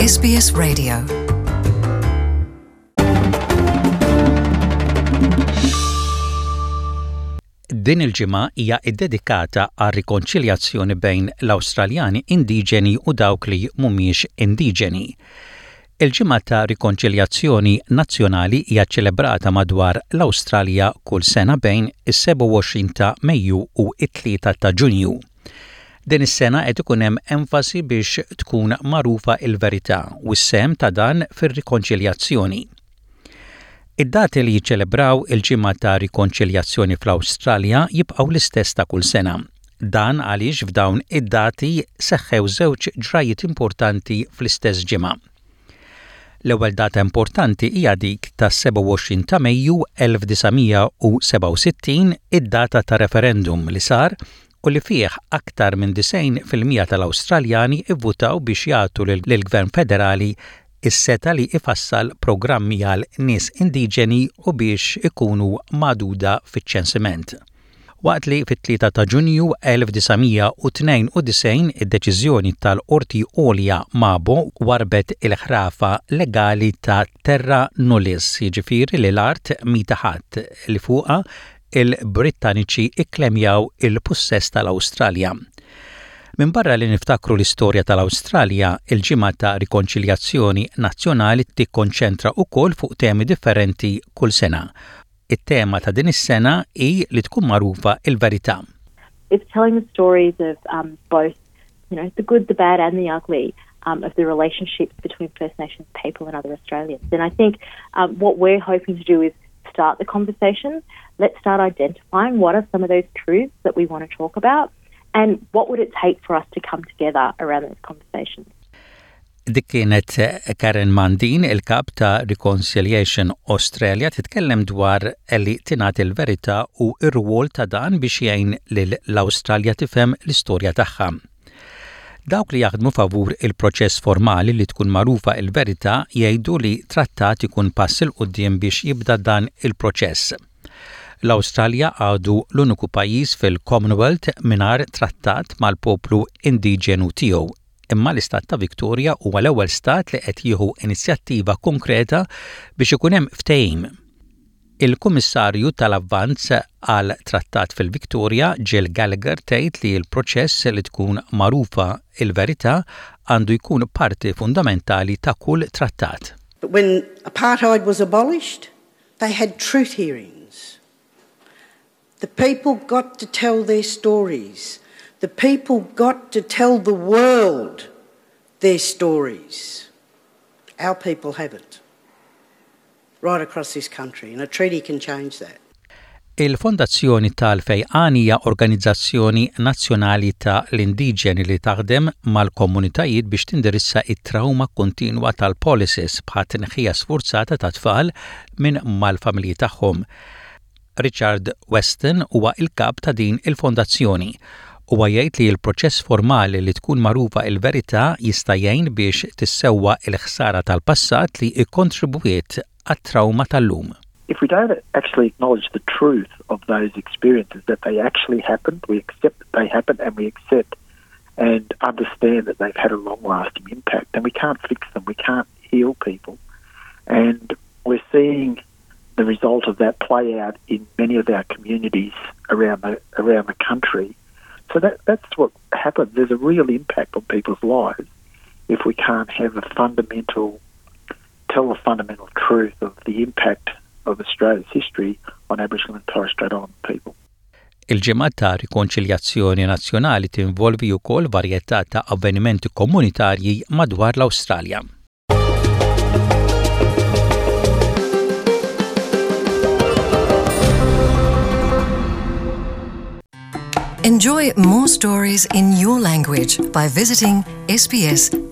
SBS Radio. Din il-ġimgħa hija ddedikata għar-rikonċiljazzjoni bejn l-Awstraljani indiġeni u dawk li mhumiex indiġeni. Il-Ġimgħa ta' Rikonċiljazzjoni Nazzjonali hija ċċelebrata madwar l-Awstralja kull sena bejn is-27 ta' Mejju u t-3 ta' Ġunju. Din is-sena qed ikun hemm enfasi biex tkun magħrufa l-verità u s-sehem ta' dan fir-rikonċiljazzjoni. Id-dati li jiċċelebraw il-Ġimgħa ta' Rikonċiljazzjoni fl-Awstralja jibqgħu l-istess ta' kull sena. Dan għaliex f'dawn id-dati seħħew żewġ ġrajjiet importanti fl-istess ġimgħa. L-ewwel data importanti hija dik tas-27 ta' Mejju 1967, id-data ta' referendum li sar u li fih aktar minn 90% tal-Awstraljani vvutaw biex jagħtu lill-Gvern Federali s-setgħa li jfassal programmi għal nies indiġeni u biex ikunu magħduda fiċ-ċensiment. Waqt li fit-3 ta' Ġunju 1992 id-deċiżjoni tal-Qorti Għolja Mabo warrbet il-ħrafa legali ta' terra nullius, jiġifieri li l-art mhi ta' ħadd, li fuqha il-Brittaniċi ikklemjaw il-pussess tal-Awstralja. Minbarra li niftakru l-istorja tal-Awstralja, il-Ġimgħa ta' Rikonċiljazzjoni Nazzjonali tikkonċentra wkoll fuq temi differenti kull sena. It-tema ta' din is-sena hi li tkun magħrufa l-verità. It's telling the stories of um, both, you know, the good, the bad and the ugly um, of the relationships between First Nations people and other Australians. And I think um, what we're hoping to do is start the conversation. Let's start identifying what are some of those truths that we want to talk about and what would it take for us to come together around those conversations. Dik kienet Karen Mandin, il-kap ta' Reconciliation Australia, titkellem dwar li tingħad il-verità u r-rwol ta' dan biex jgħin lill-Awstralja tifhem l-istorja tagħha. Dawk li jaħdmu favur il-proċess formali li tkun magħrufa l-verità jgħidu li trattat ikun pass 'il quddiem biex jibda dan il-proċess. L-Awstralja għadu l-uniku pajjiż fil-Commonwealth mingħajr trattat mal-poplu indiġenu tiegħu. Imma l-istat ta' Victoria huwa l-ewwel stat li qed jieħu inizjattiva konkreta biex ikun hemm ftehim. Il-Kummissarju tal-Avvanz għal Trattat fil-Victoria, Jill Gallagher tgħid li l-proċess li tkun magħrufa l-verità għandu jkun parti fundamentali ta' kull trattat. But when apartheid was abolished, they had truth hearings. The people got to tell their stories. The people got to tell the world their stories. Our people haven't. Right across this country, and a treaty can change that. Il-Fondazzjoni tal-Fejqan hija organizzazzjoni nazzjonali ta' l-indiġeni li taħdem mal-komunitajiet biex tindirizza t-trawma kontinwa tal-policies bħat-tneħħija sfurzata ta' tfal minn mal-familji tagħhom. Richard Weston huwa l-kap ta' din il-fondazzjoni. Huwa jgħid li l-proċess formali li tkun magħrufa l-verità jista' jgħin biex tissewwa l-ħsara tal-passat li kkontribwiet għat-trawma tal-lum. If we don't actually acknowledge the truth of those experiences, that they actually happened, we accept that they happened and we accept and understand that they've had a long-lasting impact, then we can't fix them, we can't heal people. And we're seeing the result of that play out in many of our communities around the, around the country. So that, that's what happens. There's a real impact on people's lives if we can't have a fundamental, tell the fundamental truth of the impact of Australia's history on Aboriginal and Torres Strait Islander people. Il-Ġimgħa ta' Rikonċiljazzjoni Nazzjonali tinvolvi wkoll varjetà ta' avvenimenti komunitarji madwar l-Awstralja. Enjoy more stories in your language by visiting sbs.com.au.